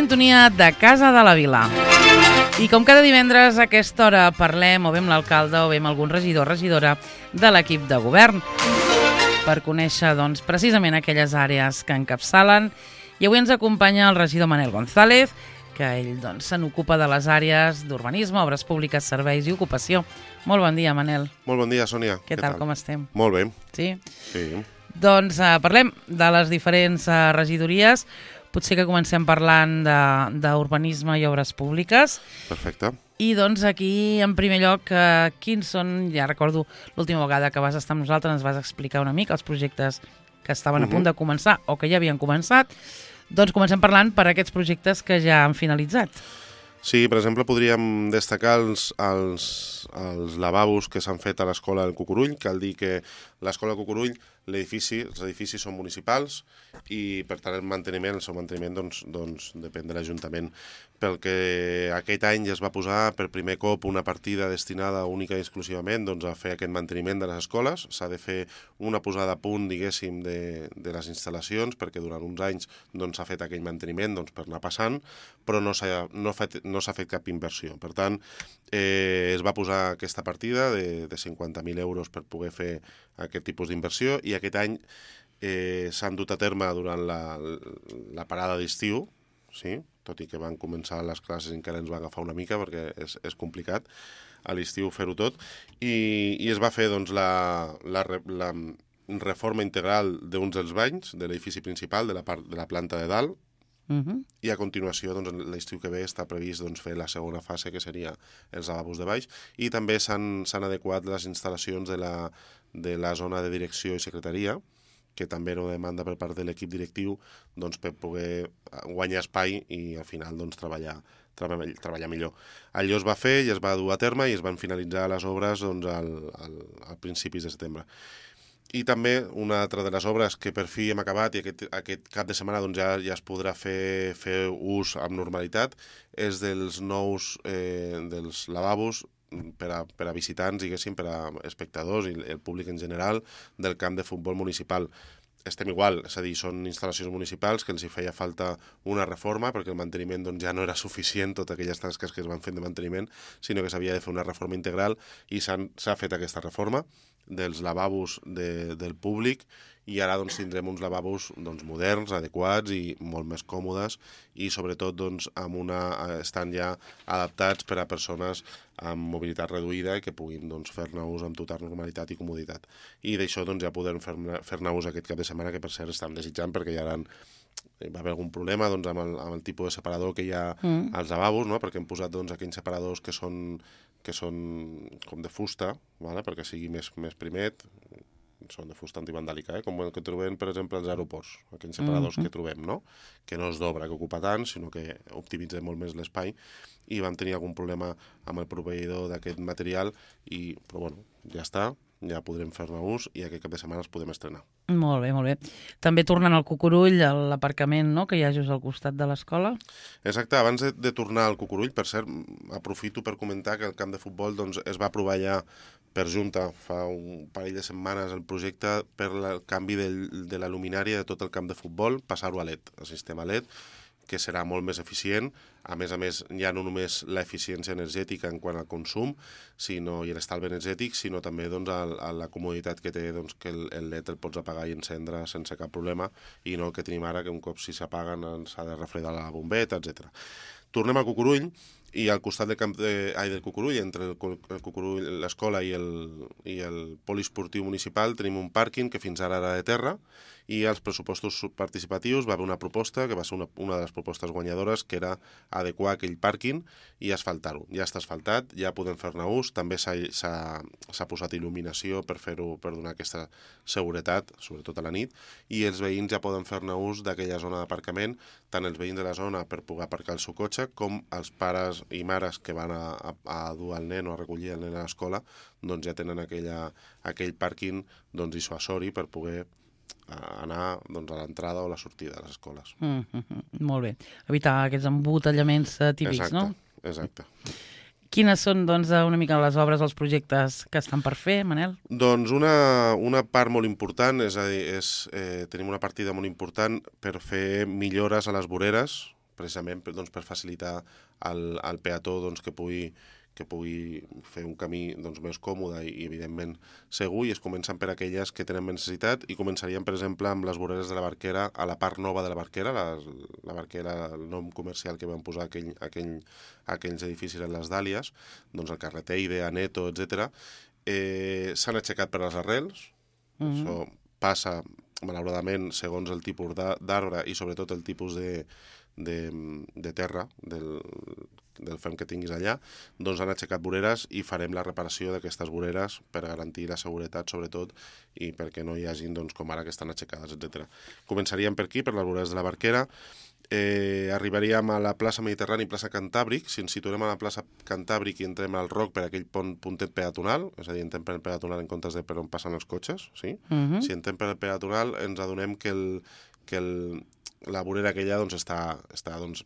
sintonia de Casa de la Vila. I com cada divendres a aquesta hora parlem o bé amb l'alcalde o bé amb algun regidor o regidora de l'equip de govern per conèixer precisament aquelles àrees que encapçalen. I avui ens acompanya el regidor Manel González, que ell se n'ocupa de les àrees d'urbanisme, obres públiques, serveis i ocupació. Molt bon dia, Manel. Molt bon dia, Sònia. Què tal, com estem? Molt bé. Sí? Sí. Doncs parlem de les diferents regidories. Potser que comencem parlant d'urbanisme i obres públiques. Perfecte. I aquí, en primer lloc, quins són, ja recordo l'última vegada que vas estar amb nosaltres, ens vas explicar una mica els projectes que estaven a punt de començar o que ja havien començat. Doncs comencem parlant per aquests projectes que ja han finalitzat. Sí, per exemple, podríem destacar els lavabos que s'han fet a l'Escola del Cucurull. Cal dir que l'Escola del Cucurull, els edificis són municipals i, per tant, el seu manteniment depèn de l'Ajuntament. Pel que aquest any ja es va posar per primer cop una partida destinada única i exclusivament a fer aquest manteniment de les escoles. S'ha de fet una posada a punt, diguéssim, de les instal·lacions, perquè durant uns anys s'ha fet aquell manteniment per anar passant, però no s'ha fet cap inversió. Per tant, es va posar aquesta partida de 50.000 euros per poder fer aquest tipus d'inversió i aquest any s'han dut a terme durant la parada d'estiu, sí? Tot i que van començar les classes encara ens va agafar una mica perquè és complicat a l'estiu fer-ho tot, i es va fer la reforma integral d'uns dels banys de l'edifici principal, de la planta de dalt, i a continuació l'estiu que ve està previst fer la segona fase, que seria els lavabos de baix, i també s'han adequat les instal·lacions de la zona de direcció i secretaria, que també era una demanda per part de l'equip directiu per poder guanyar espai i al final treballar millor. Allò es va fer i es va dur a terme i es van finalitzar les obres a principis de setembre. I també una altra de les obres que per fi hem acabat i aquest cap de setmana ja es podrà fer ús amb normalitat és dels nous dels lavabos per a visitants, diguéssim, per a espectadors i el públic en general del camp de futbol municipal. Estem igual, és a dir, són instal·lacions municipals que els hi feia falta una reforma perquè el manteniment ja no era suficient, totes aquelles tasques que es van fent de manteniment, sinó que s'havia de fer una reforma integral i s'ha fet aquesta reforma dels lavabos del públic i ara tindrem uns lavabos moderns, adequats i molt més còmodes i sobretot estan ja adaptats per a persones amb mobilitat reduïda i que puguin fer-ne ús amb total normalitat i comoditat. I d'això ja podem fer-ne ús aquest cap de setmana, que per cert estem desitjant perquè ja va haver algun problema amb el tipus de separador que hi ha als lavabos, no? Perquè hem posat aquells separadors que són com de fusta, perquè sigui més primet, són de fusta antivandàlica, com el que trobem, per exemple, als aeroports, aquells separadors que trobem, no? Que no es dobra, que ocupa tant, sinó que optimitza molt més l'espai, i vam tenir algun problema amb el proveïdor d'aquest material, però bueno, ja està, ja podrem fer-ne ús i aquest cap de setmana els podem estrenar. Molt bé, molt bé. També tornant al Cucurull, a l'aparcament que hi ha just al costat de l'escola. Exacte, abans de tornar al Cucurull, per cert, aprofito per comentar que el camp de futbol es va aprovar ja per Junta fa un parell de setmanes el projecte per el canvi de la luminària de tot el camp de futbol, passar-ho a LED, al sistema LED, que serà molt més eficient. A més, ja no només l'eficiència energètica en quant al consum i l'estalvi energètic, sinó també la comoditat que té que el LED el pots apagar i encendre sense cap problema i no el que tenim ara, que un cop si s'apaguen s'ha de refredar la bombeta, etc. Tornem al Cucurull i al costat del Cucurull, entre el Cucurull, l'escola i el poliesportiu municipal, tenim un pàrquing que fins ara era de terra i als pressupostos participatius va haver una proposta, que va ser una de les propostes guanyadores, que era adequar aquell pàrquing i asfaltar-ho. Ja està asfaltat, ja podem fer-ne ús, també s'ha posat il·luminació per donar aquesta seguretat, sobretot a la nit, i els veïns ja poden fer-ne ús d'aquella zona d'aparcament, tant els veïns de la zona per poder aparcar el seu cotxe, com els pares i mares que van a dur el nen o a recollir el nen a l'escola, ja tenen aquell pàrquing dissuasori per poder anar a l'entrada o a la sortida de les escoles. Molt bé. Evitar aquests embotellaments típics, no? Exacte. Quines són, una mica les obres, els projectes que estan per fer, Manel? Doncs una part molt important, és a dir, tenim una partida molt important per fer millores a les voreres, precisament doncs, per facilitar al peató doncs, que pugui fer un camí doncs, més còmode i evidentment segur, i es comencen per aquelles que tenen més necessitat, i començaríem, per exemple, amb les voreres de la Barquera, a la part nova de la Barquera, la Barquera, el nom comercial que vam posar aquells edificis en les Dàlies, doncs el carrer Teide, Aneto, etc. S'han aixecat per les arrels, això passa, malauradament, segons el tipus d'arbre i sobretot el tipus de terra, del ferm que tinguis allà, doncs han aixecat voreres i farem la reparació d'aquestes voreres per garantir la seguretat, sobretot, i perquè no hi hagin, doncs, com ara, que estan aixecades, etc. Començaríem per aquí, per les voreres de la Barquera, arribaríem a la plaça Mediterrani i plaça Cantàbric. Si ens situem a la plaça Cantàbric i entrem al ROC per aquell puntet peatonal, és a dir, entrem per el peatonal en comptes de per on passen els cotxes, sí? Si entrem per el peatonal ens adonem que la vorera aquella doncs, està doncs,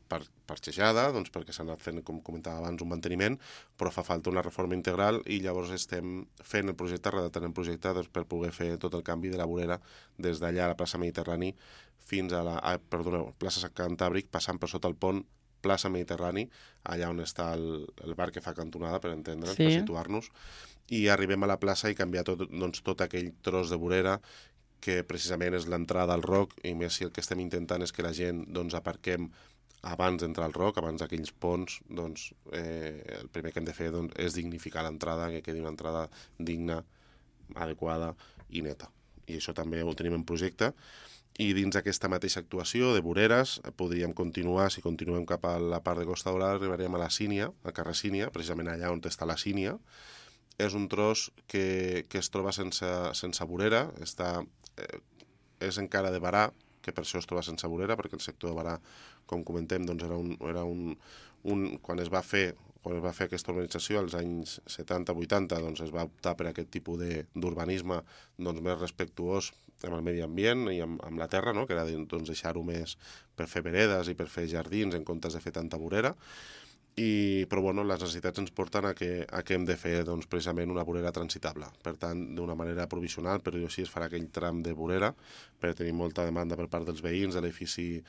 parxejada, doncs, perquè s'ha anat fent, com comentava abans, un manteniment, però fa falta una reforma integral, i llavors estem fent el projecte, redactant el projecte doncs, per poder fer tot el canvi de la vorera des d'allà a la plaça Mediterrani fins a plaça Cantàbric, passant per sota el pont, plaça Mediterrani, allà on està el bar que fa cantonada, per entendre'ns, per situar-nos, i arribem a la plaça i canviar tot aquell tros de vorera que precisament és l'entrada al ROC, i més si el que estem intentant és que la gent doncs, aparquem abans d'entrar al ROC, abans d'aquells ponts, doncs el primer que hem de fer doncs, és dignificar l'entrada, que quedi una entrada digna, adequada i neta. I això també ho tenim en projecte. I dins d'aquesta mateixa actuació de voreres podríem continuar, si continuem cap a la part de Costa Daurada, arribaríem a la Sínia, al carrer Sínia, precisament allà on està la Sínia. És un tros que es troba sense vorera, és encara de Barà, que per això es troba sense vorera, perquè el sector de Barà, com comentem, doncs era quan es va fer aquesta urbanització als anys 70-80, doncs es va optar per aquest tipus d'urbanisme doncs, més respectuós amb el medi ambient i amb la terra, no? Que era doncs, deixar-ho més per fer veredes i per fer jardins en comptes de fer tanta vorera. Però bueno, les necessitats ens porten a que hem de fer doncs, precisament una vorera transitable. Per tant, d'una manera provisional, per dir-ho així, es farà aquell tram de vorera, per tenir molta demanda per part dels veïns de l'edifici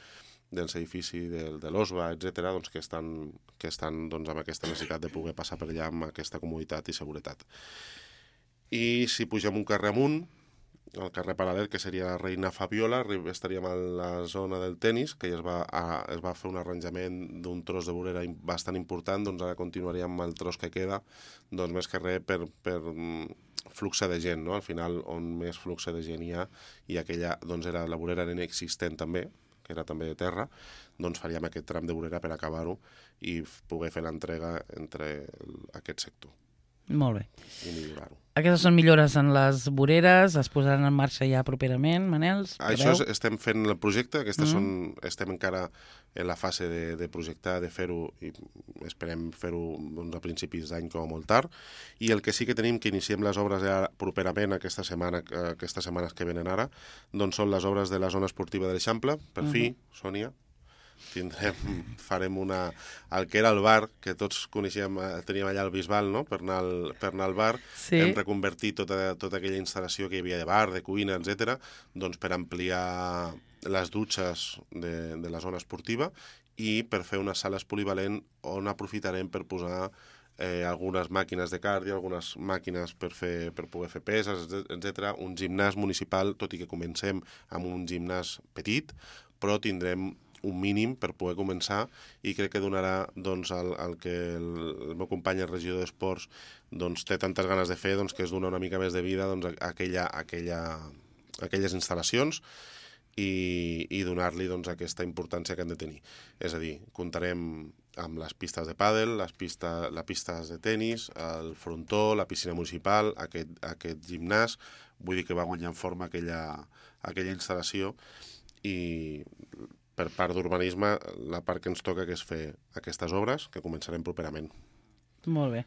de l'OSBA, etc., doncs, que estan doncs, amb aquesta necessitat de poder passar per allà amb aquesta comoditat i seguretat. I si pugem un carrer amunt, el carrer paral·lel, que seria la Reina Fabiola, estaríem a la zona del tenis, que ja es va fer un arranjament d'un tros de vorera bastant important, doncs ara continuaríem amb el tros que queda, doncs més que res per flux de gent, no? Al final, on més flux de gent hi ha, i aquella, doncs la vorera era inexistent també, que era també de terra, doncs faríem aquest tram de vorera per acabar-ho i poder fer l'entrega entre aquest sector. Molt bé. I millorar-ho. Aquestes són millores en les voreres, es posaran en marxa ja properament, Manels? Això estem fent el projecte, estem encara en la fase de projectar, de fer-ho, i esperem fer-ho doncs, a principis d'any com a molt tard, i el que sí que tenim, que iniciem les obres ja properament aquestes setmanes que venen ara, doncs són les obres de la zona esportiva de l'Eixample, per fi, Sònia, farem el que era el bar, que tots coneixíem, teníem allà al Bisbal, no? per anar al bar, sí. Hem reconvertit tota aquella instal·lació que hi havia de bar, de cuina, etc., doncs per ampliar les dutxes de la zona esportiva i per fer unes sales polivalent on aprofitarem per posar algunes màquines de cardio, algunes màquines per poder fer peses, etc. Un gimnàs municipal, tot i que comencem amb un gimnàs petit, però tindrem un mínim per poder començar, i crec que donarà doncs, el que el meu company, el regidor d'Esports, doncs, té tantes ganes de fer, doncs, que és donar una mica més de vida doncs, a aquelles instal·lacions i donar-li doncs, aquesta importància que han de tenir. És a dir, comptarem amb les pistes de pàdel, les pistes de tenis, el frontó, la piscina municipal, aquest gimnàs. Vull dir que va guanyar en forma aquella instal·lació, i per part d'urbanisme, la part que ens toca que és fer aquestes obres, que començarem properament. Molt bé.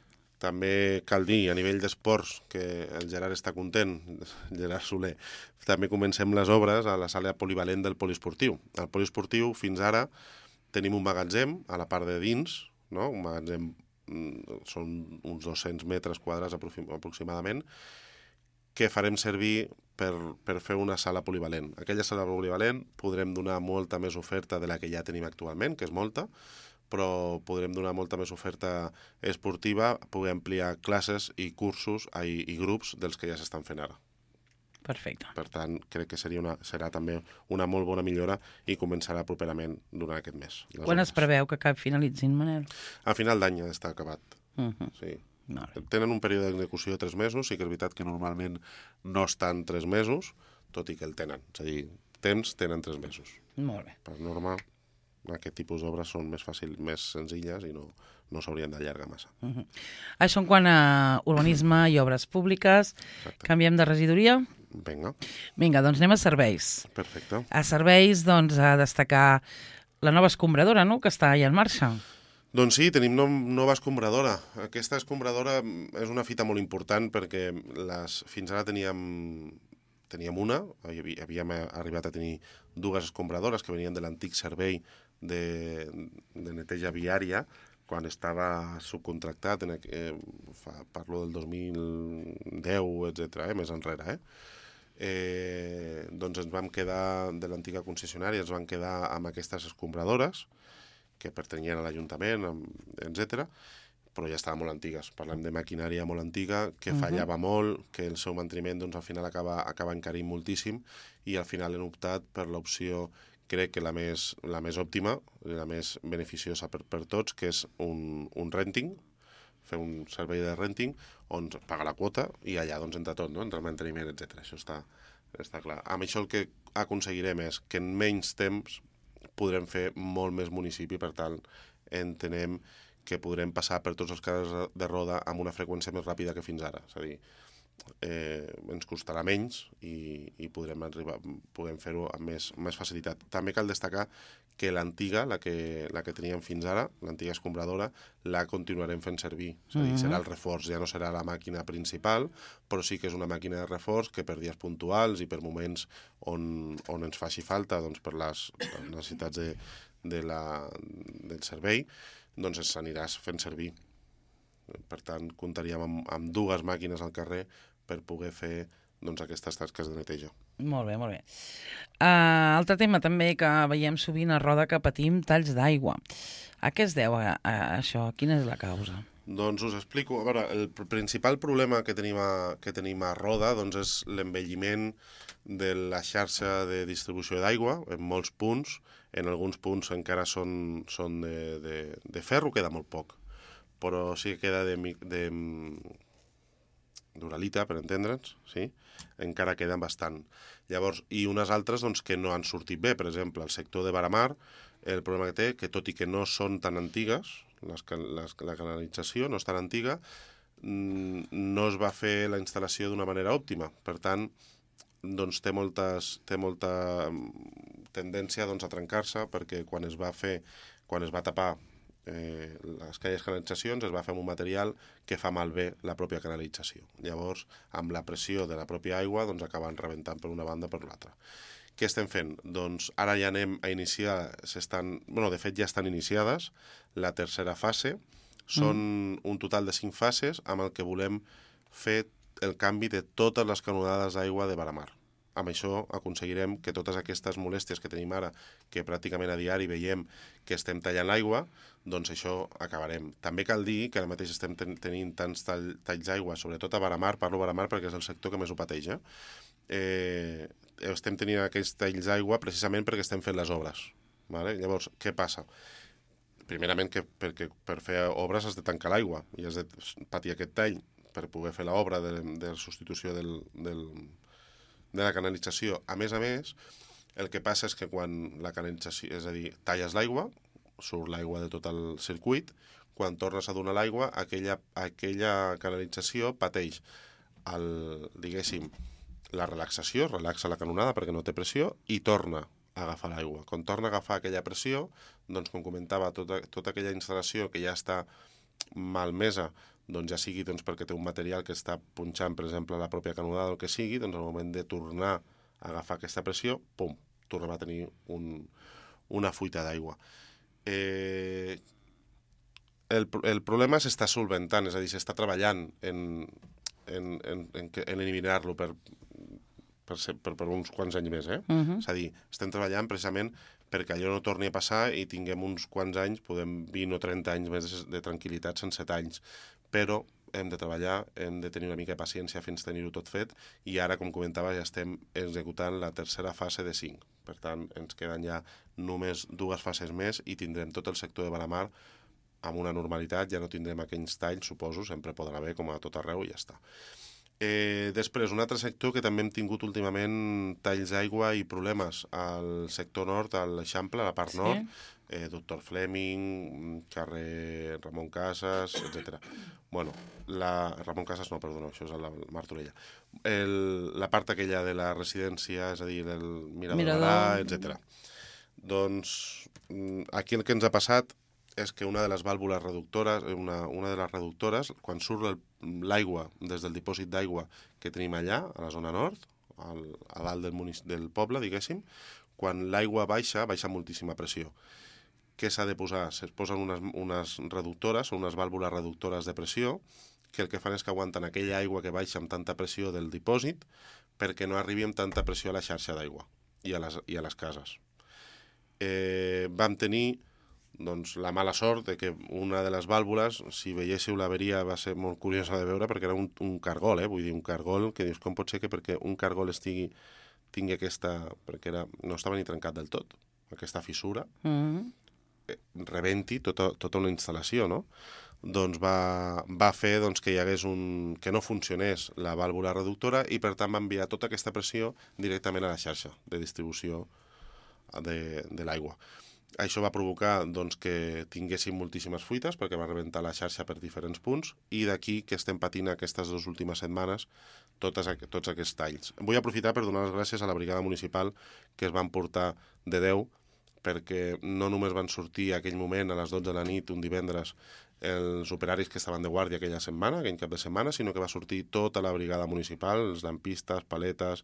També cal dir, a nivell d'esports, que el Gerard està content, Gerard Soler, també comencem les obres a la sala polivalent del poliesportiu. Al poliesportiu, fins ara, tenim un magatzem a la part de dins, no? Un magatzem, són uns 200 metres quadrats aproximadament, que farem servir per fer una sala polivalent. Aquella sala polivalent podrem donar molta més oferta de la que ja tenim actualment, que és molta, però podrem donar molta més oferta esportiva, poder ampliar classes i cursos i grups dels que ja s'estan fent ara. Perfecte. Per tant, crec que serà també una molt bona millora i començarà properament durant aquest mes. Quan es preveu que finalitzin, Manel? A final d'any ja està acabat. Sí. Tenen un període d'execució de 3 mesos, sí que és veritat que normalment no estan 3 mesos, tot i que el tenen. És a dir, temps tenen 3 mesos. Molt bé. Per norma, aquest tipus d'obres són més senzilles i no s'haurien d'allargar massa. Això en quant a urbanisme i obres públiques. Exacte. Canviem de regidoria? Vinga, doncs anem a serveis. Perfecte. A serveis, doncs, a destacar la nova escombradora, no?, que està ja en marxa. Doncs sí, tenim nova escombradora. Aquesta escombradora és una fita molt important perquè fins ara teníem una, havíem arribat a tenir 2 escombradores que venien de l'antic servei de neteja viària, quan estava subcontractat, parlo del 2010, etc., més enrere. Doncs ens vam quedar, de l'antiga concessionària, ens vam quedar amb aquestes escombradores, que pertanyien a l'Ajuntament, etc., però ja estaven molt antigues. Parlem de maquinària molt antiga, que fallava molt, que el seu manteniment al final acaba encarint moltíssim, i al final hem optat per l'opció, crec que la més òptima, la més beneficiosa per tots, que és un renting, fer un servei de renting, on paga la quota i allà entra tot, entra el manteniment, etc. Això està clar. Amb això el que aconseguirem és que en menys temps podrem fer molt més municipi, per tant, entenem que podrem passar per tots els carrers de roda amb una freqüència més ràpida que fins ara. És a dir, ens costarà menys i podem fer-ho amb més facilitat. També cal destacar que l'antiga, la que teníem fins ara, l'antiga escombradora, la continuarem fent servir. És a dir, serà el reforç, ja no serà la màquina principal, però sí que és una màquina de reforç que per dies puntuals i per moments on ens faci falta, per les necessitats del servei, doncs s'aniràs fent servir. Per tant, comptaríem amb 2 màquines al carrer per poder fer aquestes tasques de neteja. Molt bé, molt bé. Altre tema també que veiem sovint a Roda, que patim talls d'aigua. A què es deu això? Quina és la causa? Doncs us explico. A veure, el principal problema que tenim a Roda és l'envelliment de la xarxa de distribució d'aigua en molts punts. En alguns punts encara són de ferro, queda molt poc, però sí que queda d'uralita, per entendre'ns, sí? Encara queden bastant. Llavors, i unes altres que no han sortit bé. Per exemple, el sector de Varamar, el problema que té, que tot i que no són tan antigues, la canalització no és tan antiga, no es va fer la instal·lació d'una manera òptima. Per tant, té molta tendència a trencar-se, perquè quan es va tapar aquelles canalitzacions es va fer amb un material que fa malbé la pròpia canalització. Llavors, amb la pressió de la pròpia aigua, acaben rebentant per una banda o per l'altra. Què estem fent? Doncs ara ja anem a iniciar, de fet ja estan iniciades, la tercera fase. Són un total de 5 fases amb el que volem fer el canvi de totes les canonades d'aigua de Varamar. Amb això aconseguirem que totes aquestes molèsties que tenim ara, que pràcticament a diari veiem que estem tallant l'aigua, doncs això acabarem. També cal dir que ara mateix estem tenint tants talls d'aigua, sobretot a Varamar, parlo Varamar perquè és el sector que més ho pateix. Estem tenint aquests talls d'aigua precisament perquè estem fent les obres. Llavors, què passa? Primerament, perquè per fer obres has de tancar l'aigua i has de patir aquest tall per poder fer l'obra de substitució de la canalització. A més, el que passa és que quan la canalització, és a dir, talles l'aigua, surt l'aigua de tot el circuit, quan tornes a donar l'aigua, aquella canalització pateix la relaxació, relaxa la canonada perquè no té pressió i torna a agafar l'aigua. Quan torna a agafar aquella pressió, doncs, com comentava, tota aquella instal·lació que ja està malmesa, doncs ja sigui perquè té un material que està punxant, per exemple, la pròpia canonada o el que sigui, doncs al moment de tornar a agafar aquesta pressió, pum, tornem a tenir una fuita d'aigua. El problema s'està solventant, és a dir, s'està treballant en eliminar-lo per uns quants anys més. És a dir, estem treballant precisament perquè allò no torni a passar i tinguem uns quants anys, podem 20 o 30 anys més de tranquil·litat en 7 anys. Però hem de treballar, hem de tenir una mica de paciència fins tenir-ho tot fet i ara, com comentava, ja estem executant la tercera fase de 5. Per tant, ens queden ja només 2 fases més i tindrem tot el sector de Baramar amb una normalitat, ja no tindrem aquells talls, suposo, sempre podrà haver com a tot arreu i ja està. Després, un altre sector que també hem tingut últimament talls d'aigua i problemes al sector nord, a l'Eixample, a la part nord, Doctor Fleming, carrer Ramon Casas, etc. Bueno, Ramon Casas no, perdona, això és a la Martorella. La part aquella de la residència, és a dir, el Mirador, etc. Doncs aquí el que ens ha passat és que una de les vàlvules reductores, una de les reductores, quan surt l'aigua des del dipòsit d'aigua que tenim allà, a la zona nord, a dalt del poble, diguéssim, quan l'aigua baixa moltíssima pressió. Què s'ha de posar? Es posen unes reductores, o unes vàlvules reductores de pressió, que el que fan és que aguanten aquella aigua que baixa amb tanta pressió del dipòsit perquè no arribi amb tanta pressió a la xarxa d'aigua i a les cases. Vam tenir la mala sort de que una de les vàlvules, si veiéssiu l'averia, va ser molt curiosa de veure perquè era un cargol, vull dir, un cargol que dius, com pot ser que perquè un cargol tingui aquesta... perquè no estava ni trencat del tot, aquesta fissura, rebenti tota una instal·lació, no? Doncs va fer que hi hagués que no funcionés la vàlvula reductora i per tant va enviar tota aquesta pressió directament a la xarxa de distribució de l'aigua. Això va provocar que tinguéssim moltíssimes fuites perquè va rebentar la xarxa per diferents punts i d'aquí que estem patint aquestes 2 últimes setmanes tots aquests talls. Vull aprofitar per donar les gràcies a la brigada municipal que es van portar de 10 perquè no només van sortir aquell moment a les 12 de la nit un divendres els operaris que estaven de guàrdia aquella setmana, aquell cap de setmana, sinó que va sortir tota la brigada municipal, els lampistes, paletes,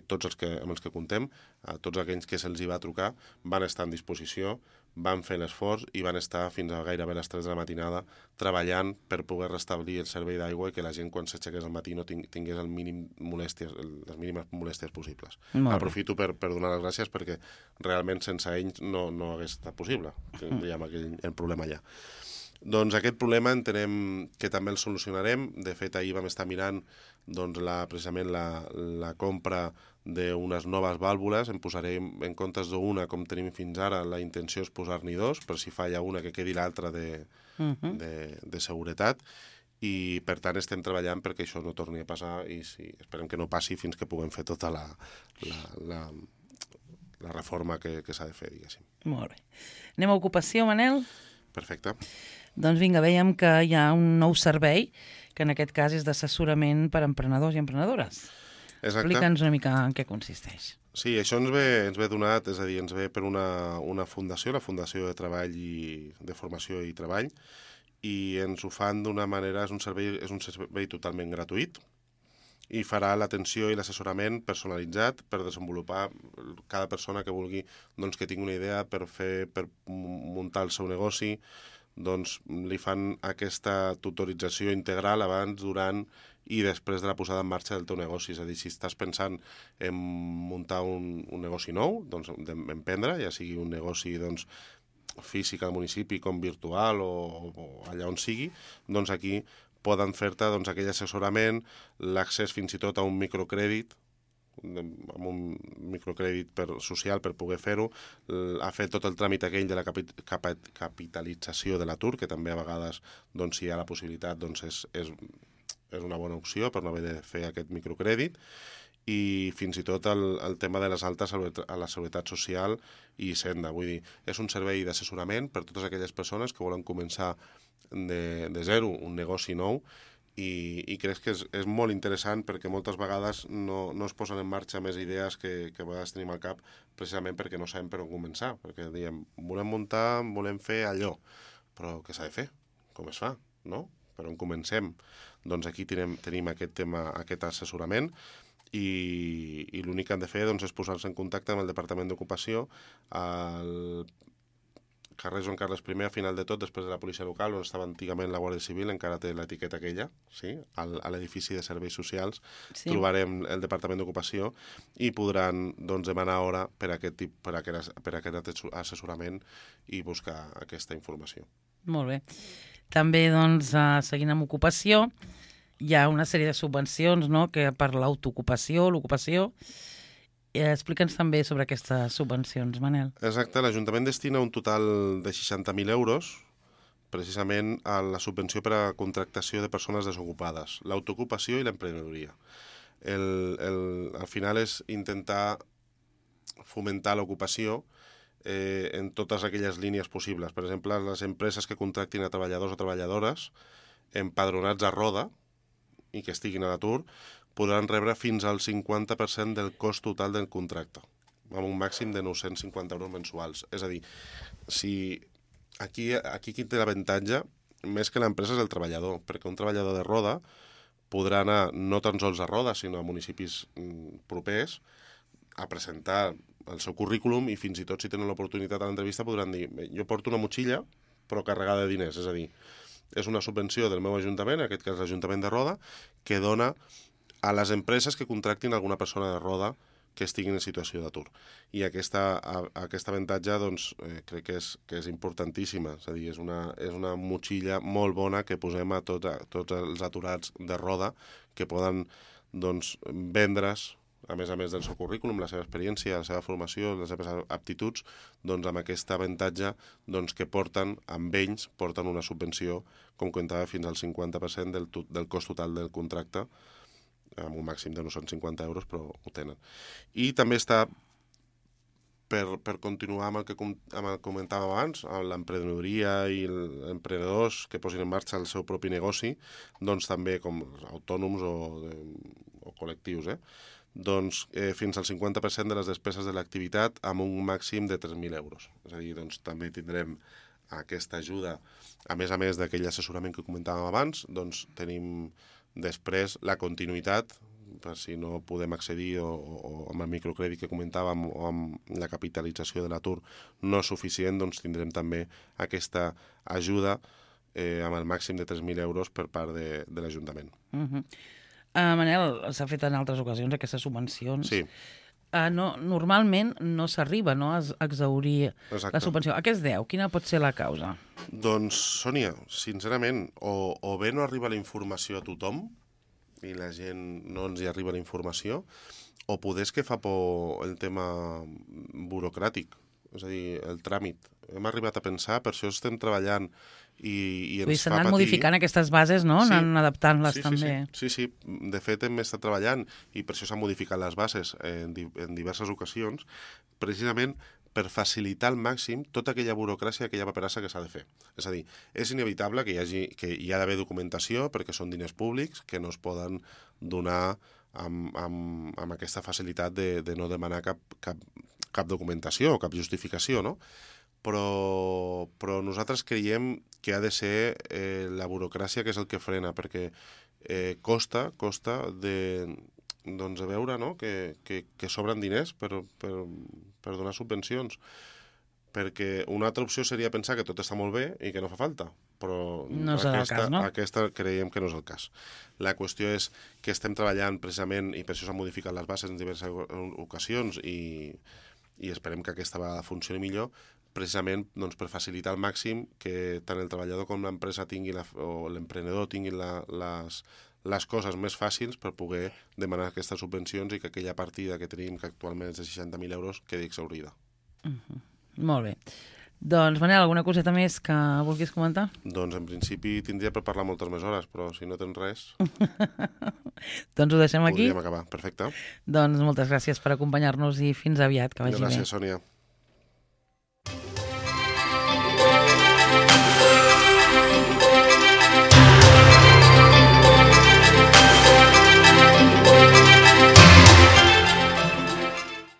tots amb els que comptem, tots aquells que se'ls hi va trucar, van estar en disposició, van fer l'esforç i van estar fins a gairebé les 3 de la matinada treballant per poder restablir el servei d'aigua i que la gent quan s'aixequés al matí no tingués les mínimes molèsties possibles. Aprofito per donar les gràcies perquè realment sense ells no hagués estat possible, tindríem el problema allà. Doncs aquest problema entenem que també el solucionarem. De fet, ahir vam estar mirant precisament la compra d'unes noves vàlvules. En posarem en comptes d'una, com tenim fins ara, la intenció és posar-n'hi 2, per si falla una que quedi l'altra de seguretat. I, per tant, estem treballant perquè això no torni a passar i esperem que no passi fins que puguem fer tota la reforma que s'ha de fer, diguéssim. Molt bé. Anem a ocupació, Manel? Perfecte. Doncs vinga, veiem que hi ha un nou servei, que en aquest cas és d'assessorament per a emprenedors i emprenedores. Exacte. Explica'ns una mica en què consisteix. Sí, això ens ve donat, és a dir, ens ve per una fundació, la Fundació de Treball de Formació i Treball, i ens ho fan d'una manera, és un servei totalment gratuït, i farà l'atenció i l'assessorament personalitzat per desenvolupar cada persona que vulgui, que tingui una idea per muntar el seu negoci, li fan aquesta tutorització integral abans, durant i després de la posada en marxa del teu negoci. És a dir, si estàs pensant en muntar un negoci nou, d'emprendre, ja sigui un negoci físic al municipi com virtual o allà on sigui, aquí poden fer-te aquell assessorament, l'accés fins i tot a un microcrèdit, amb un microcrèdit social per poder fer-ho, a fer tot el tràmit aquell de la capitalització de l'atur, que també a vegades, si hi ha la possibilitat, és una bona opció per no haver de fer aquest microcrèdit, i fins i tot el tema de les altes a la Seguretat Social i Senda. Vull dir, és un servei d'assessorament per totes aquelles persones que volen començar de zero un negoci nou, i crec que és molt interessant perquè moltes vegades no es posen en marxa més idees que a vegades tenim al cap precisament perquè no sabem per on començar, perquè diem, volem fer allò, però què s'ha de fer? Com es fa? No? Per on comencem? Doncs aquí tenim aquest tema, aquest assessorament, i l'únic que han de fer és posar-se en contacte amb el Departament d'Ocupació al carrer Joan Carles I, a final de tot, després de la policia local, on estava antigament la Guàrdia Civil, encara té l'etiqueta aquella, sí? A l'edifici de serveis socials, trobarem el Departament d'Ocupació i podran doncs, demanar hora per aquest assessorament i buscar aquesta informació. Molt bé. També, doncs, seguint amb ocupació, hi ha una sèrie de subvencions, no?, que per l'autoocupació, l'ocupació. Explica'ns també sobre aquestes subvencions, Manel. Exacte, l'Ajuntament destina un total de 60.000 euros precisament a la subvenció per a contractació de persones desocupades, l'autoocupació i l'emprenedoria. Al final és intentar fomentar l'ocupació en totes aquelles línies possibles. Per exemple, les empreses que contractin a treballadors o treballadores empadronats a Roda i que estiguin a l'atur podran rebre fins al 50% del cost total del contracte, amb un màxim de 950 euros mensuals. És a dir, si aquí qui té l'avantatge, més que l'empresa, és el treballador, perquè un treballador de Roda podrà anar no tan sols a Roda, sinó a municipis propers, a presentar el seu currículum i fins i tot si tenen l'oportunitat a l'entrevista podran dir jo porto una motxilla però carregada de diners, és a dir, és una subvenció del meu ajuntament, en aquest cas l'Ajuntament de Roda, que dona a les empreses que contractin alguna persona de Roda que estiguin en situació d'atur. I aquest avantatge doncs, crec que és importantíssima, és a dir, és una motxilla molt bona que posem a tots els aturats de Roda que poden doncs, vendre's, a més del seu currículum, la seva experiència, la seva formació, les seves aptituds, doncs amb aquest avantatge doncs, que porten, amb ells, porten una subvenció, com comentava, fins al 50% del cost total del contracte, amb un màxim de 950 euros, però ho tenen. I també està, per continuar amb el que comentàvem abans, amb l'emprenedoria i els emprenedors que posin en marxa el seu propi negoci, doncs també com autònoms o col·lectius, doncs fins al 50% de les despeses de l'activitat amb un màxim de 3.000 euros. És a dir, doncs també tindrem aquesta ajuda, a més d'aquell assessorament que comentàvem abans, doncs tenim després la continuïtat, per si no podem accedir o amb el microcrèdit que comentàvem o amb la capitalització de l'atur no és suficient, doncs tindrem també aquesta ajuda amb el màxim de 3.000 euros per part de l'Ajuntament. Manel, s'ha fet en altres ocasions aquestes subvencions. Sí. Normalment no s'arriba a exhaurir la subvenció. A què es deu? Quina pot ser la causa? Doncs, Sònia, sincerament, o bé no arriba la informació a tothom i la gent no ens hi arriba la informació, o poder és que fa por el tema burocràtic, és a dir, el tràmit. Hem arribat a pensar, per això estem treballant i ens fa patir. S'han anat modificant aquestes bases, no? Sí, anant adaptant-les també. Sí. De fet, hem estat treballant i per això s'han modificat les bases en diverses ocasions, precisament per facilitar al màxim tota aquella burocràcia, aquella paperassa que s'ha de fer. És a dir, és inevitable que hi ha d'haver documentació perquè són diners públics que no es poden donar amb aquesta facilitat de no demanar cap documentació o cap justificació, no? Però nosaltres creiem que ha de ser la burocràcia que és el que frena, perquè costa de veure, no?, que sobren diners per donar subvencions. Perquè una altra opció seria pensar que tot està molt bé i que no fa falta, però no serà el cas, no? Aquesta creiem que no és el cas. La qüestió és que estem treballant precisament, i per això s'han modificat les bases en diverses ocasions, i esperem que aquesta vegada funcioni millor, precisament doncs, per facilitar al màxim que tant el treballador com l'empresa o l'emprenedor tinguin les coses més fàcils per poder demanar aquestes subvencions i que aquella partida que tenim, que actualment és de 60.000 euros, quedi exhaurida. Molt bé. Doncs, Manel, alguna coseta més que vulguis comentar? Doncs, en principi, tindria per parlar moltes més hores, però si no tens res... Doncs ho deixem aquí. Podríem acabar, perfecte. Doncs moltes gràcies per acompanyar-nos i fins aviat, que vagi bé. Gràcies, Sònia.